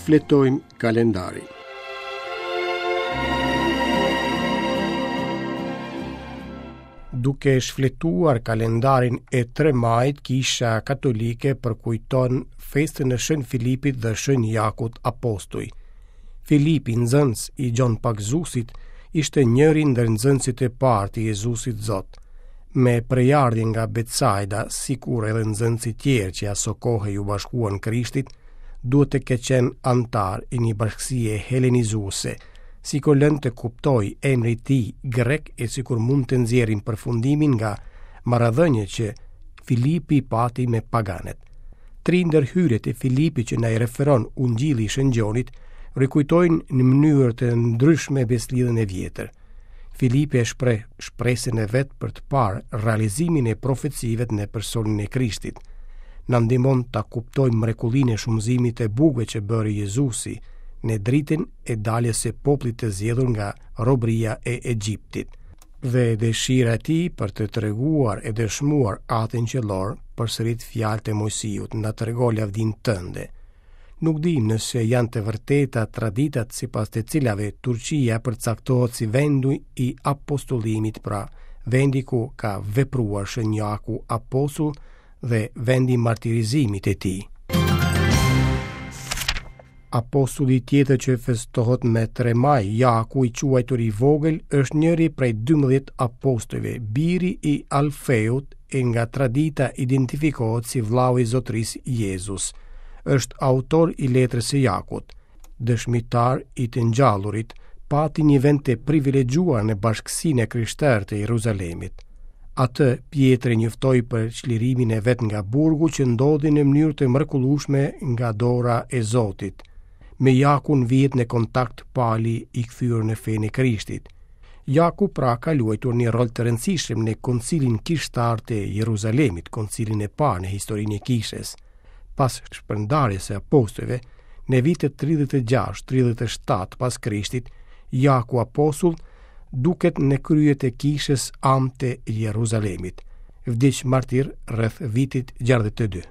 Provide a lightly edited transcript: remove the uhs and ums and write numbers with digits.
Shfletojmë kalendarin. Duke shfletuar kalendarin e 3 majit, Kisha Katolike përkujton festën e Shën Filipit dhe Shën Jakut Apostuj. Filipi, nxënës i Gjon Pagëzuesit, ishte njëri ndër nxënësit e parë të Jezusit Zot. Me prejardhje nga Betsaida, sikur edhe nxënësit tjerë që asokohe iu bashkuan Krishtit, duhet të ketë qenë anëtar i një bashkësie helenizuese, sikur lën të kuptojë emri i tij grek e sikur mund të nxjerrim përfundimin nga marrëdhëniet që Filipi pati me paganët. Tri ndërhyrjet e Filipit që na i referon Ungjilli i Shën Gjonit rikujtojnë në mënyrë të ndryshme besëlidhjen e vjetër. Filipi e shpreh shpresën e vet për të parë realizimin e profecive në personin e Krishtit. Na ndihmon ta kuptojmë mrekullinë e shumëzimit të bukëve që bëri Jezusi në dritën e daljes së popullit të zgjedhur nga robëria e Egjiptit. Dhe dëshira e tij për të treguar e dëshmuar Atin Qiellor përsërit fjalët e Moisiut, na trego lavdinë tënde. Nuk dimë nëse janë të vërteta traditat sipas të cilave Turqia përcaktohet si vendi i apostullimit, pra vendi ku ka vepruar Shën Jaku apostull dhe vendi i martirizimit të tij. Apostulli tjetër që festohet me 3 maj, Jaku i quajtur i vogël, është njëri prej 12 apostujve, biri i Alfeut e nga tradita identifikohet si vllau i zotërisë Jezus. Është autor i letrës së Jakut, dëshmitar i të ngjallurit, pati një vend të privilegjuar në bashkësinë e krishterë të Jeruzalemit. Atë Pjetri njoftoi për çlirimin e vet nga burgu që ndodhi në mënyrë të mrekullueshme nga dora e Zotit. Me Jakun vihet në kontakt Pali i kthyer në fenë e Krishtit. Jaku pra ka luajtur një rol të rëndësishëm në koncilin kishtar të Jeruzalemit, koncilin e parë në historinë e kishës. Pas shpërndarjes së apostujve, në vitet 36-37 pas Krishtit, Jaku apostull duket në krye të kishës amë të Jeruzalemit. Vdiq martir rreth vitit 62.